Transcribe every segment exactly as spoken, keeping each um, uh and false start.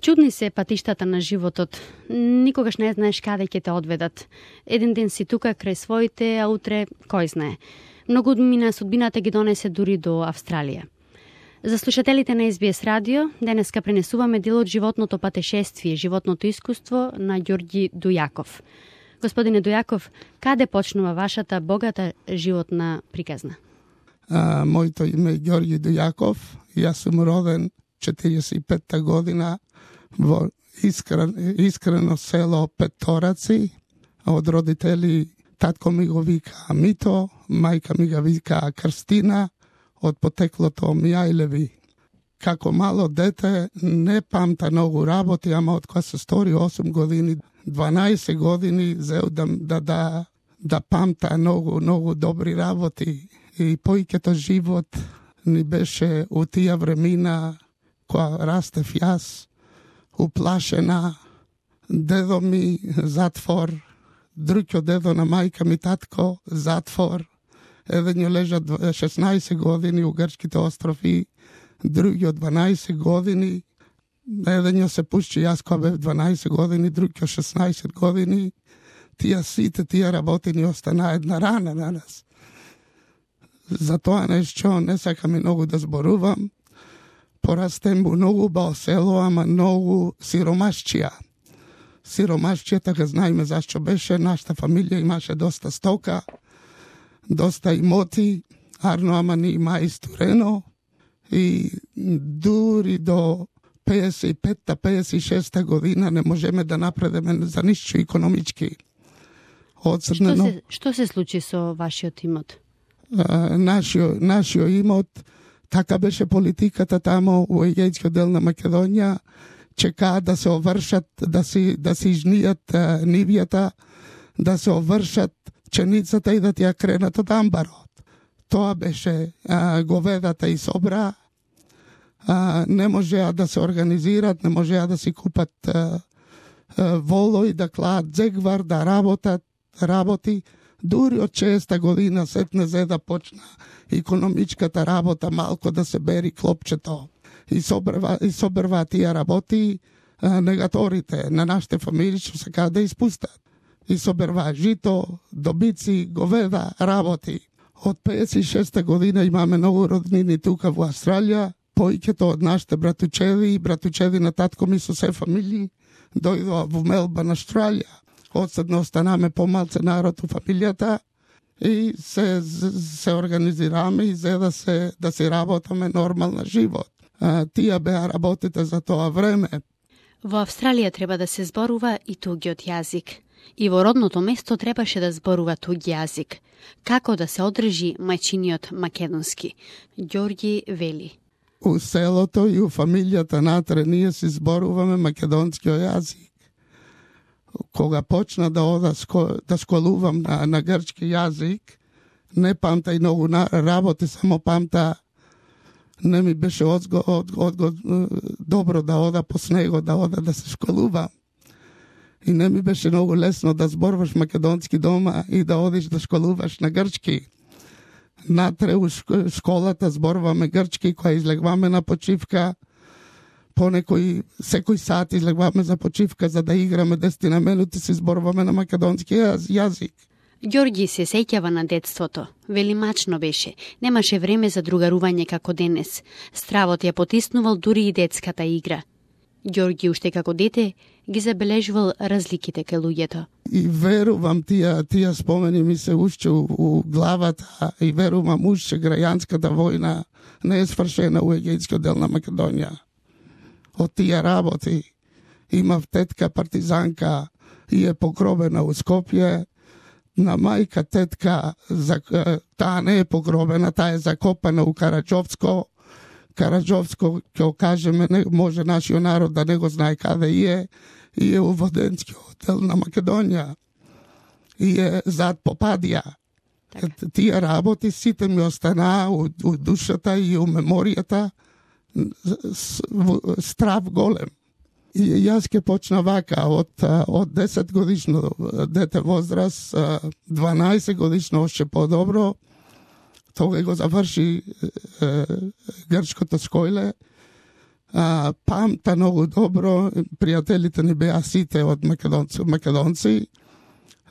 Чудни се патиштата на животот. Никогаш не знаеш каде ќе те одведат. Еден ден си тука крај своите, а утре кој знае. Многу мина судбината ги донесе дури до Австралија. За слушателите на Ес Би Ес Радио, денеска пренесуваме дел од животното патешествие, животното искуство на Ѓорѓи Дујаков. Господине Дујаков, каде почнува вашата богата животна приказна? А, моето име е Ѓорѓи Дујаков. Јас сум роден четириесет и петта година во искрен, искрено село Петораци. Од родители татко ми го вика Мито, мајка ми го вика Крстина, од потеклото Мјајлеви. Како мало дете не памта многу работи, ама од кога се стори осум години, дванаесет години зеу да, да, да, да памта многу, многу добри работи. И поиќето живот ни беше у тие времена кога растев јас, уплашена, дедо ми затвор, друѓо дедо на мајка ми татко затвор, еден ја лежа шеснаесет години у грчките острови, други од дванаесет години, еден ја се пушти јас кога бев дванаесет години, други шеснаесет години, тие сите тие работи ни остана една рана на нас. За тоа нешто не сакам многу да зборувам. Порастем во многу убаво село, ама многу сиромашчија. Сиромашчијата га знаеме зашто беше, нашата фамилија имаше доста стока, доста имоти, арно ама ни има исторено, и дури до пеесет и петта пеесет и шеста година не можеме да напредеме за ништо економички. Одсрнено... Што се, што се случи со вашиот имот? Uh, нашио, нашио имот, така беше политиката тамо во Егејскиот дел на Македонија, чекаа да се овршат, да си, да си изнијат uh, нивјата, да се овршат пченицата и да тја кренат од амбарот. Тоа беше uh, говедата и собра, uh, не можеа да се организират, не можеа да си купат uh, uh, волој, да клаат дзегвар, да работат, работи. Дури од шеста година сетне зе да почна економичката работа, малко да се бери клопчето. И собрва, и собрва тие работи а, негаторите на нашите фамилии што сакаат да испустат. И собрва жито, добици, говеда, работи. Од пеесет и шеста година имаме многу роднини тука во Австралија. Поиќето од нашите братучеви и братучеви на татко ми со се фамилии дојдоа во Мелбурн, Австралија. Одседно останаме помалце народ у фамилијата и се, се организираме и за да се, да се работаме нормална живот. А, тие беа работите за тоа време. Во Австралија треба да се зборува и тугиот јазик. И во родното место требаше да зборува туги јазик. Како да се одржи мајчиниот македонски? Ѓорѓи вели. У селото и у фамилијата натре ние си зборуваме македонскиот јазик. Кога почна да ода да школувам на, на грчки јазик, не памта и многу работи, само памта не ми беше одго, одго, одго, добро да ода по снего, да ода да се школувам. И не ми беше многу лесно да зборваш македонски дома и да одиш да школуваш на грчки. Натре у школата зборуваме грчки, која излегваме на почивка, понекој секој сат излегваме за почивка за да играме десетина минути, се зборуваме на македонски јазик. Ѓорѓи се сеќава на детството. Вели мачно беше. Немаше време за другарување како денес. Стравот ја потиснувал дури и детската игра. Ѓорѓи уште како дете ги забележувал разликите кај луѓето. И верувам тие тие спомени ми се уште у, у главата и верувам уште граѓанската војна не е свршена у Егејскиот дел на Македонија. Од тие работи имав тетка партизанка и е погробена у Скопје. На мајка тетка, таа не е погробена, таа е закопана у Караџовско. Караџовско, ќе кажеме, не, може нашиот народ да не го знае каде е, и е у Воденскиот дел на Македонија. И е зад Попадија. Так. Тие работи сите ми останаа у, у душата и у меморијата. Страв голем. И јас ке почна вака од, од десет годишно дете возраст, дванаесет годишно още по-добро. Тога го заврши е, грчкото школе. А, памта многу добро, пријателите ни беа сите од македонци, македонци.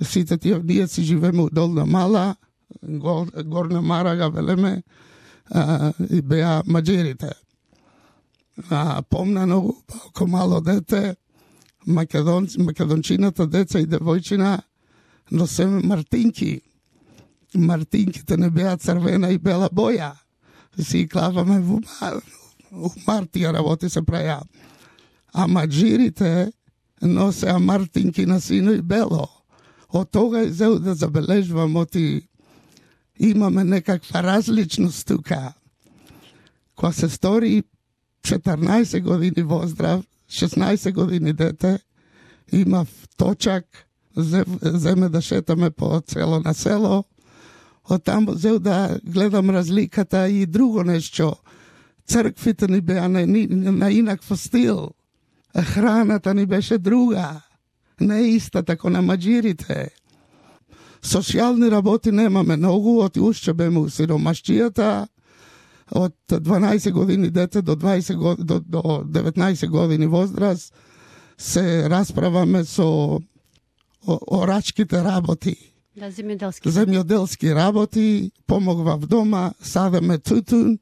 Сите тие, ние си живееме у Долна Мала, Гор, Горна Марага, велеме, а, и беа маđерите. А, помна многу, ако мало дете, македон, македончината, деца и девојчина, носеме мартинки. Мартинките не беа црвена и бела боја. Си клаваме во у мартија работи се праја. А маđирите носеа мартинки на сино и бело. Од тога е зел да забележувам, оти имаме некаква различност тука. Кога се стори четрнаесет години воздрав, шеснаесет години дете, имав точак, земе да шетаме по цело на село, од таму зел да гледам разликата и друго нешто. Црквите ни беа на, на инаква стил. Храната ни беше друга. Не иста тако на маđирите. Социјални работи немаме многу, оти уште беме у сиромашчијата, од дванаесет години дете до дваесет години, до, до деветнаесет години возраст, се расправаме со орачките работи. Да, земјоделски. Земјоделски работи, помогвав дома, садеме тутун,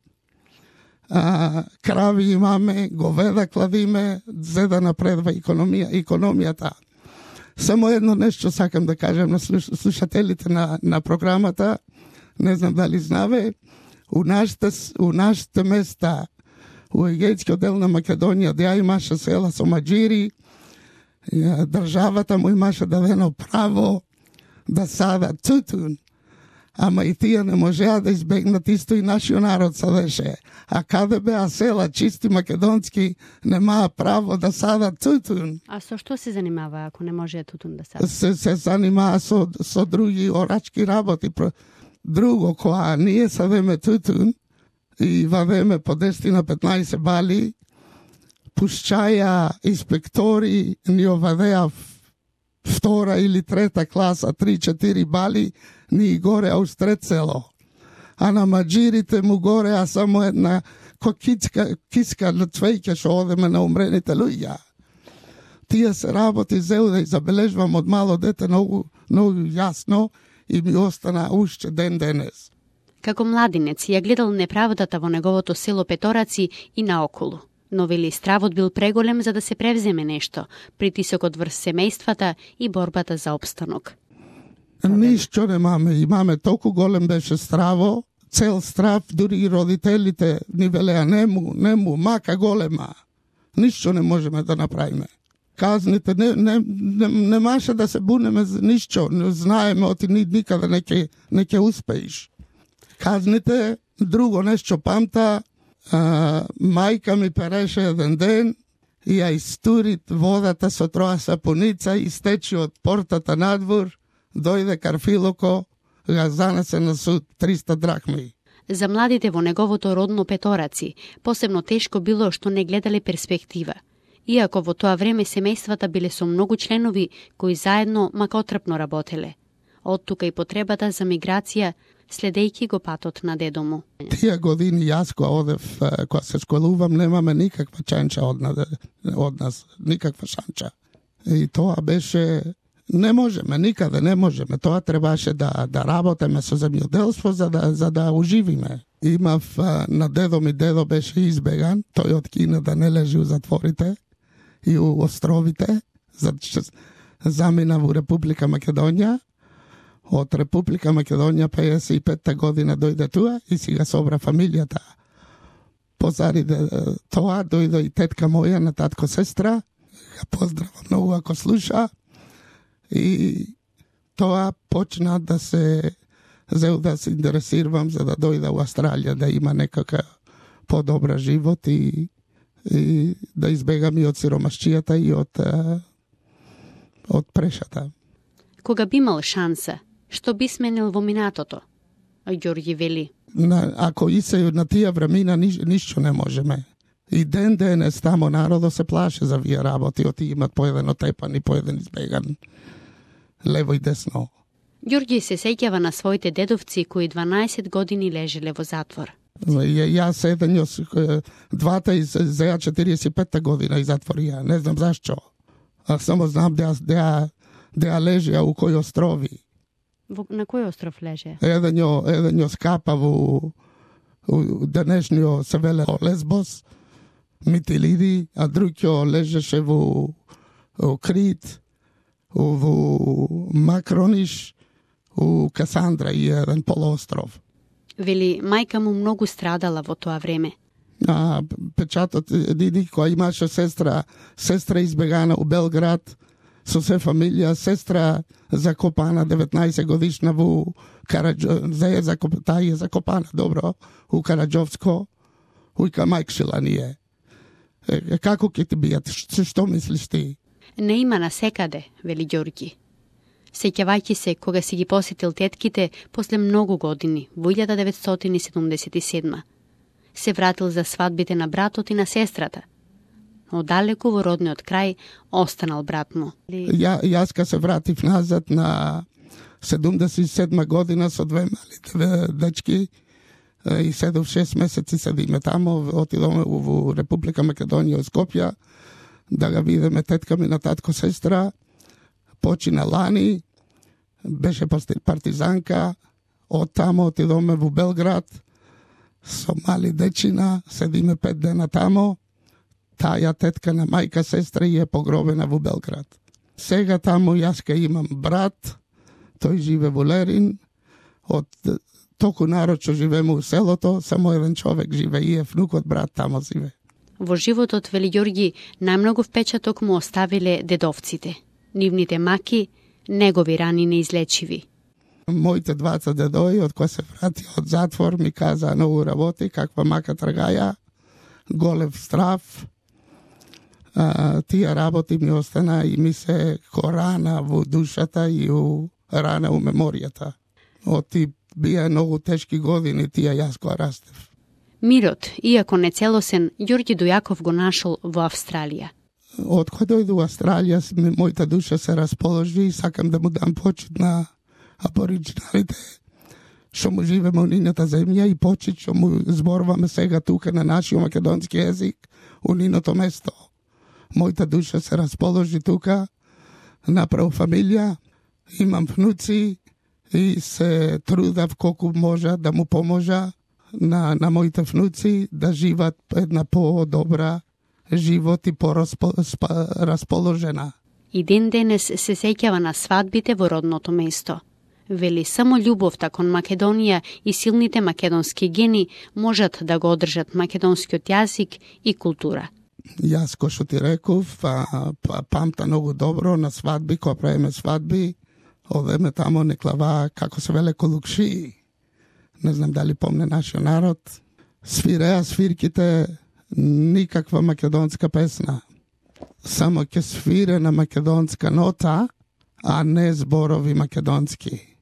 а, крави имаме, говеда кладиме, за да напредва економија, економијата. Само едно нешто сакам да кажем на слушателите на, на програмата, не знам дали знаве, у нашите, у нашите места, у Егејскиот дел на Македонија, де имаше села со маđири, државата му имаше дадено право да сада тутун, ама и тие не можеа да избегнат, исто и нашиот народ садеше. А каде беа села чисти македонски, немаа право да садат тутун. А со што се занимава ако не може тутун да сада? Се, се занимава со, со други орачки работи. Друго, кога ние садеме тутун и вадеме по десет на петнаесет бали, пушчаја инспектори ни овадеа втора или трета класа, три-четири бали, ни горе аустрет село. А на маđирите му горе, а само една кокицка, киска на цвејке што одеме на умрените луѓа. Тие се работи зел да забележувам од мало дете многу, многу јасно и ми остана уште ден денес. Како младинец ја гледал неправдата во неговото село Петораци и наоколу. Но вели стравот бил преголем за да се превземе нешто, притисокот врз семејствата и борбата за опстанок. Ништо немаме, имаме толку голем беше страво, цел страв, дури и родителите ни велеа нему, нему, мака голема. Ништо не можеме да направиме. Казните, не, не, не, не маше да се бунеме за ништо, не знаеме, оти никаде не ќе, не ќе успеиш. Казните, друго нешто памта, а, мајка ми переше еден ден и ја истурит водата со троа сапуница и стечи од портата надвор, дојде Карфилоко, га занесе на суд триста драхми. За младите во неговото родно Петораци, посебно тешко било што не гледале перспектива. Иако во тоа време семејствата биле со многу членови кои заедно макотрпно работеле. Од тука и потребата за миграција, следејќи го патот на дедо му. Тие години јас кога одев, кога се школувам, немаме никаква чанча од, од нас, никаква шанча. И тоа беше, не можеме, никаде не можеме. Тоа требаше да, да работеме со земјоделство за да, за да уживиме. Имав на дедо ми, дедо беше избеган, тој од Кина да не лежи у затворите и у островите, замина во Република Македонија. Од Република Македонија пеесет и петта година дојде туа и си ga собра фамилијата. Позади тоа дојде и тетка моја на татко сестра, ја поздравам многу ако слуша, и тоа почна да се зел да се интересирам за да дојда у Австралија, да има некака подобра живот и, и да избегам и од сиромашчијата и од, од прешата. Кога би имал шанса, што би сменил во минатото? Ѓорѓи вели. На, ако и се на тие времена ниш, ништо не можеме. И ден денес тамо народо се плаше за вие работи, оти имат по еден отепан и по еден избеган, лево и десно. Ѓорѓи се сеќава на своите дедовци кои дванаесет години лежеле во затвор. Јас еден јос двата и за четириесет и петта година и затворија. Не знам зашчо. А само знам да да да лежеа у кој острови. Во, на кој остров леже? Еден ја еден ја скапа во денешниот се веле Лесбос, Митилиди, а друг ја лежеше во Крит, во Макрониш, у Касандра и еден полуостров. Вели, мајка му многу страдала во тоа време. А, печатот, Диди, која имаше сестра, сестра избегана у Белград, со се фамилија, сестра закопана деветнаесет годишна во Караџо, за закоп, таа е закопана, добро, у Караџовско, ујка мајкшила ние. Е, како ќе ти бијат, што, што мислиш ти? Не има насекаде, вели Ѓорги. Сеќавајќи се кога си ги посетил тетките после многу години, во илјада деветстотини седумдесет и седма. Се вратил за свадбите на братот и на сестрата. Одалеку во родниот крај останал брат му. Ја, јас ка се вратив назад на седумдесет и седма година со две мали дечки и седов шест месеци седиме тамо, отидоме во Република Македонија од Скопје да ga видиме тетка ми на татко сестра. Почина лани, беше партизанка, од тамо отидоме во Белград со мали дечина, седиме пет дена тамо. Таја тетка на мајка сестра е погробена во Белград. Сега тамо јас ка имам брат, тој живе во Лерин, од току народ што живеме у селото, само еден човек живе и е внукот брат тамо живе. Во животот, вели Ѓорги, најмногу впечаток му оставиле дедовците. Нивните маки, негови рани неизлечиви. Моите дваца дедои, од кои се врати од затвор, ми каза многу работи, каква мака тргаја, голев страв. А, тие работи ми остана и ми се ко рана во душата и у рана у меморијата. Од ти бија многу тешки години, тие јас која растев. Мирот, иако не целосен, Ѓорги Дујаков го нашол во Австралија. Од кога дојду во Австралија, мојата душа се расположи и сакам да му дам почит на абориджиналите што му живеме у нината земја и почит што му зборуваме сега тука на нашиот македонски език у ниното место. Мојата душа се расположи тука, направо фамилија, имам внуци и се трудав колку можа да му поможа на, на моите внуци да живат една по-добра живот и по-расположена. И ден денес се сеќава на свадбите во родното место. Вели, само љубовта кон Македонија и силните македонски гени можат да го одржат македонскиот јазик и култура. Јас, кој што ти реков, па, па, памта многу добро на свадби, кога правиме свадби, одеме тамо неклава, како се веле, колукши. Не знам дали помне нашиот народ. Свиреа свирките никаква македонска песна. Само ќе свире на македонска нота, а не зборови македонски.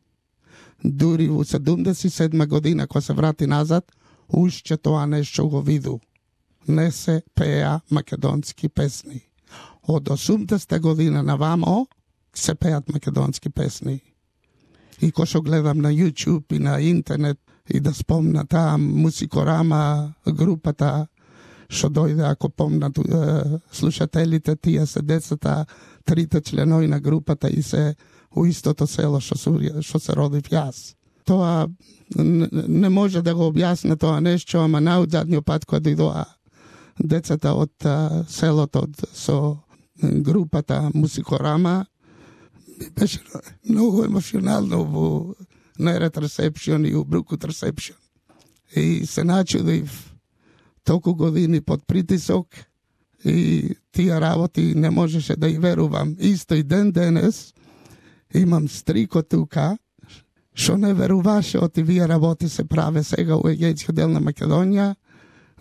Дури во седумдесет и седма година, кога се врати назад, уште тоа нешто го виду. Не се пеа македонски песни. Од осумдесета година навамо се пеат македонски песни. И кога што гледам на YouTube и на интернет и да спомна таа Мусикорама групата, што дојде, ако помнат слушателите, тие се децата, трите членови на групата и се у истото село што се, што се родив јас. Тоа не може да го објасне тоа нешто, ама најодзадниот пат кога дојдоа децата од селото со групата Мусикорама, беше многу емоционално во Нерет ресепшн и у Брукут ресепшн. И се начудив толку години под притисок и тие работи не можеше да и верувам. Исто и ден денес имам стрико тука, што не веруваше од тие работи се праве сега у Егејскиот дел на Македонија.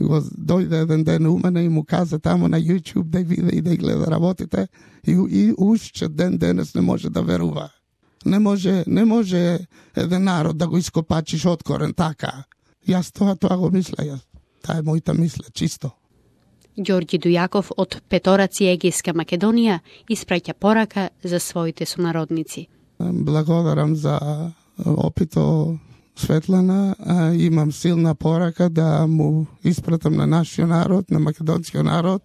Го дојде еден ден у мене и му каза тамо на YouTube да види и да гледа работите и, и уште ден денес не може да верува. Не може, не може еден народ да го ископачиш од корен така. Јас тоа, тоа го мисля, јас. Таа е мојата мисла, чисто. Ѓорги Дујаков од Петораци, Егејска Македонија, испраќа порака за своите сонародници. Благодарам за опито Светлана, а, имам силна порака да му испратам на нашиот народ, на македонскиот народ,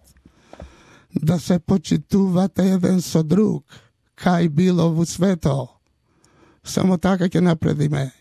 да се почитувате еден со друг, кај било во свето. Само така ќе напредиме.